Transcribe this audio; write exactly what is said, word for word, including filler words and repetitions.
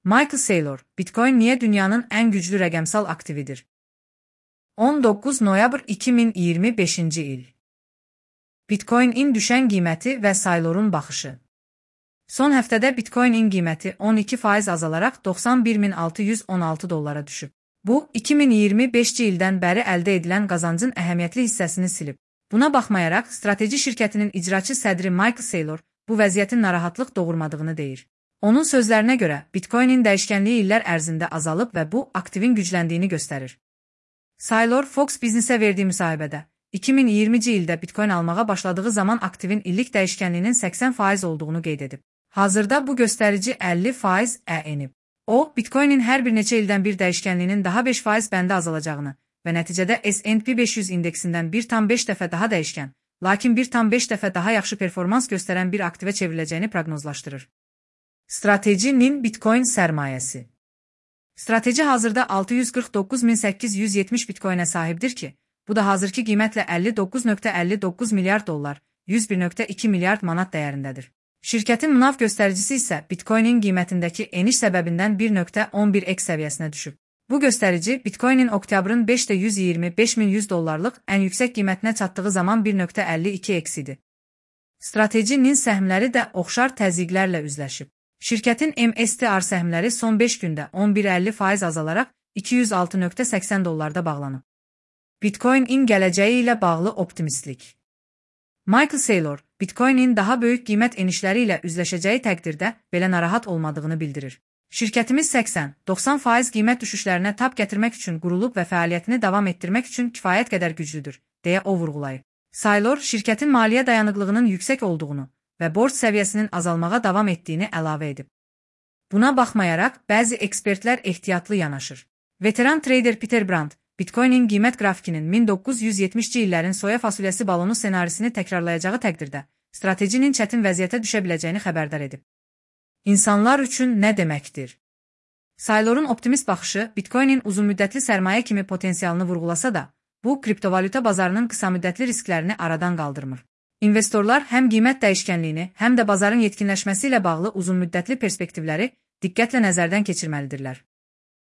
Michael Saylor, Bitcoin niye dünyanın en güçlü rəqəmsal aktividir? on doqquz noyabr iki min iyirmi beşinci il. Bitcoin-in düşən qiyməti və Saylor'un baxışı. Son həftədə Bitcoin-in qiyməti on iki faiz azalaraq doxsan bir min altı yüz on altı dollara düşüb. Bu, iki min iyirmi beşinci ildən bəri əldə edilən qazancın əhəmiyyətli hissəsini silib. Buna baxmayaraq, strateji şirkətinin icraçı sədri Michael Saylor bu vəziyyətin narahatlıq doğurmadığını deyir. Onun sözlərinə görə, Bitcoin-in dəyişkənliyi illər ərzində azalıb və bu, aktivin gücləndiyini göstərir. Saylor, Fox Business-ə verdiyi müsahibədə, iki min iyirminci ildə Bitcoin almağa başladığı zaman aktivin illik dəyişkənliyinin səksən faiz olduğunu qeyd edib. Hazırda bu göstərici əlli faiz enib. O, Bitcoin-in hər bir neçə ildən bir dəyişkənliyinin daha beş faiz bəndə azalacağını və nəticədə S and P beş yüz indeksindən bir tam beş dəfə daha dəyişkən, lakin bir tam beş dəfə daha yaxşı performans göstərən bir aktivə çevriləcəyini proqnozlaşdırır. Strateji-nin Bitcoin sərmayəsi. Strateji hazırda altı yüz qırx doqquz min səkkiz yüz yetmiş Bitcoin'ə sahibdir ki, bu da hazırki qiymətlə əlli doqquz nöqtə əlli doqquz milyard dollar, yüz bir nöqtə iki milyard manat dəyərindədir. Şirkətin MNAV göstəricisi isə Bitcoin-in qiymətindəki eniş səbəbindən bir nöqtə on bir x səviyyəsinə düşüb. Bu göstərici Bitcoin-in oktyabrın beşdə yüz iyirmi beş min yüz dollarlıq ən yüksək qiymətinə çatdığı zaman bir nöqtə əlli iki x idi. Strateji-nin səhmləri də oxşar təzyiqlərlə üzləşib. Şirkətin M S T R səhmləri son beş gündə on bir əlli faiz azalaraq iki yüz altı nöqtə səksən dollarda bağlanıb. Bitcoin-in gələcəyi ilə bağlı optimistlik. Michael Saylor, Bitcoin-in daha böyük qiymət enişləri ilə üzləşəcəyi təqdirdə belə narahat olmadığını bildirir. Şirkətimiz səksən doxsan faiz qiymət düşüşlərinə tab gətirmək üçün qurulub və fəaliyyətini davam etdirmək üçün kifayət qədər güclüdür, deyə o vurğulayıb. Saylor, şirkətin maliyyə dayanıqlığının yüksək olduğunu və borc səviyyəsinin azalmağa davam etdiyini əlavə edib. Buna baxmayaraq, bəzi ekspertlər ehtiyatlı yanaşır. Veteran trader Peter Brand, Bitcoin-in qiymət qrafikinin min doqquz yüz yetmişci illərin soya fasulyəsi balonu ssenarisini təkrarlayacağı təqdirdə, stratejinin çətin vəziyyətə düşə biləcəyini xəbərdar edib. İnsanlar üçün nə deməkdir? Saylor'un optimist baxışı Bitcoin-in uzunmüddətli sərmayə kimi potensialını vurğulasa da, bu, kriptovalyuta bazarının qısamüddətli risklərini aradan qaldırmır. İnvestorlar həm qiymət dəyişkənliyini, həm də bazarın yetkinləşməsi ilə bağlı uzunmüddətli perspektivləri diqqətlə nəzərdən keçirməlidirlər.